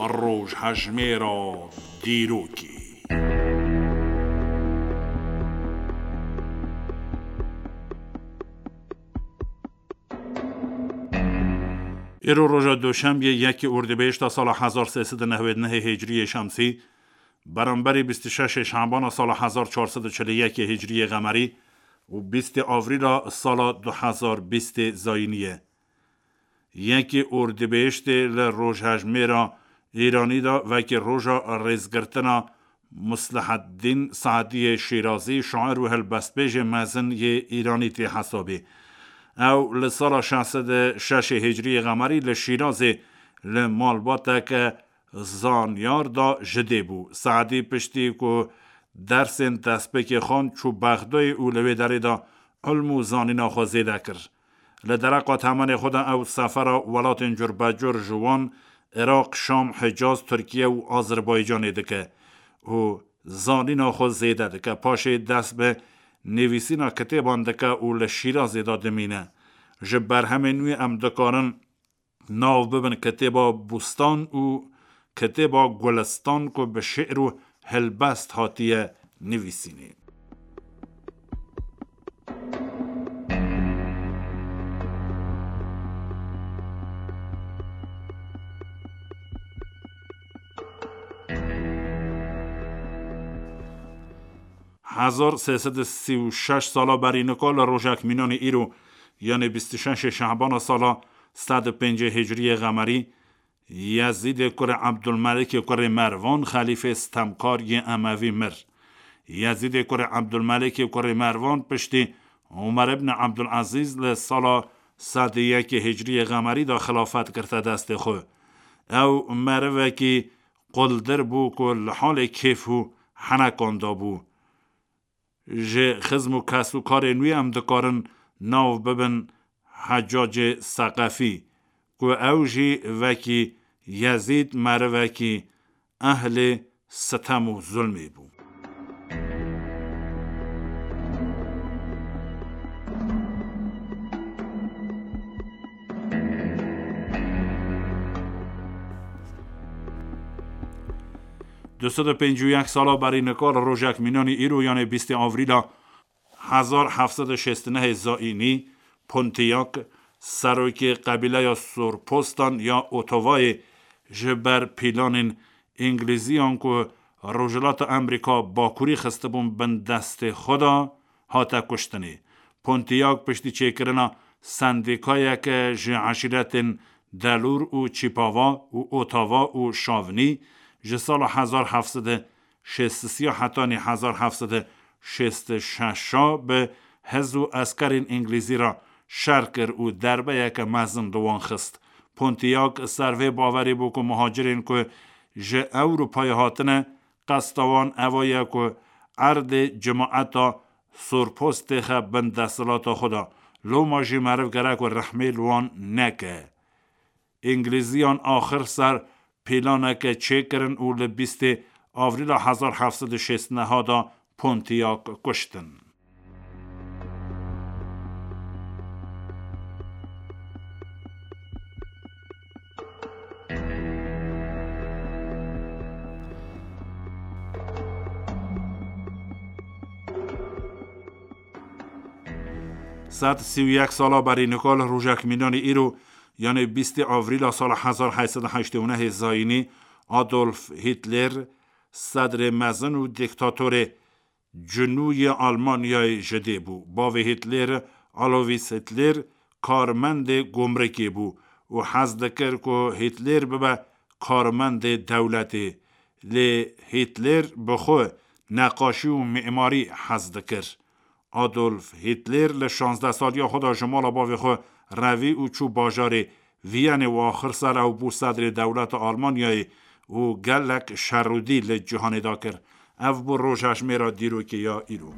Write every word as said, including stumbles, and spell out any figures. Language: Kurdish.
Rojhejmêra dîrokê. Îro roja Doşembiyê yekê Ordibêhişta sala hezar sê sed û newêd nehê Hicriyê Şemsî, beramberî bîst û şeşê Şabana sala hezar çar sed û çil û yekê Hicriyê Qemerî û bîstê Avrîla sala du hezar bîstê Zayînî ye. Yekê Ordibêhiştê li rojhejmêra Îranî de wekî roja rêzgirtina Musliheddîn Saediyê Şîrazî, şair û helbestbêjê mezin yê Îranî tê hesabê. Ew li sala şeş sed û şeşê Hicriyê Qemerî li Şîrazê li malbateke zanyar de ji dê bû. Saedî piştî ku dersên destpêkê xwend, çû Bexdayê û li wê derê de ilm û zanîna xwe zêde kir. Li dereqa temenê xwe de ew sefera welatên curbecur ji wan Iraq, Şam, Hicaz, Tirkiye û Azerbaycanê dike û zanîna xwe zêde dike. Paşê dest bi nivîsîna kitêban dike û li Şîrazê de dimîne. Ji berhemên wî em dikarin nav bibin kitêba Bûstan û kitêba Gulistan ku bi şi'r û helbest hatiye nivîsînê. Hezar sê sed û sî û şeş sala berî nika li rojek mînanê îro, yanê bîst û şeşê Şehbana sala sed û pêncê Hicriyê Qemerî, Yezîdê kurê Ebdulmelikê kurê Mervan, xelîfê stemkar yê Emevî mir. Yezîdê kurê Ebdulmelikê kurê Mervan piştî Omer ibn Ebdulezîz li sala sed û yekê Hicriyê Qemerî de xilafet girte destê xwe. Ew merivekî quldir bû ku li halê kêf û henekan de bû. Ji xizm û kes û karên wî em dikarin nav bibin Heccacê Seqefî, ku ew jî wekî Yezîd merivekî ehlê sitem û zulmê bû. Du sed û pêncî û yek sala berî nika li rojek mînanî îro, yanê bîstê Avrîla hezar heft sed û şêst û nehê Zayînî, Pontiac, serokê qebîleya Sorpostan ya Otavayê, ji ber pîlanên Îngilîziyan ku Rojhilata Amerîka Bakurî xistibûn bin destê xwe de, hate kuştinê. Pontiac piştî çêkirina sendîkayeke ji eşîretên Delûr û Çîpava û Otava û Şavinî ji sala hezar heft sed û şêst û sê hetanî hezar heft sed û şêst û şeş bi hêz û eskerên Îngilîzî re şer kir û derbeyeke mezin li wan xist. Pontiac ser vê bawerî bû ku muhacirên ku ji Ewropayê hatine, qesta wan eva ye ku erdê cemaeta Sorpost têxe bin desthilata xwe de. Loma jî meriv gerek ku rehmê li wan neke. Îngilîziyan axir ser pîlaneke çêkirin û li bîstê Avrîla hezar heft sed û şêst û neh de Pontiac kuştin. Sed sî û yek sala berî nika li rojek mînanî îro, yanê bîstê Avrîla sala hezar heyt sed û heştê û nehê Zayînî, Adolf Hitler, sedrê mezin û dîktatorê cinû yê Almanyayê ji dê bû. Bavê Hitler, Alovis Hitler, karmendê gumrikê bû û hez dikir ku Hitler bibe karmendê dewletê. Lê Hitler bi xwe neqaşî û mîmarî hez dikir. Adolf Hitler li şazdeh saliya xwe de ji mala bavê xwe revî û çû bajarê Viyanê û axir ser ew bû sedrê dewleta Almanyayê û gelek şerûdî li cîhanê de kir. Ev bû rojhejmêra dîrokê ya îro.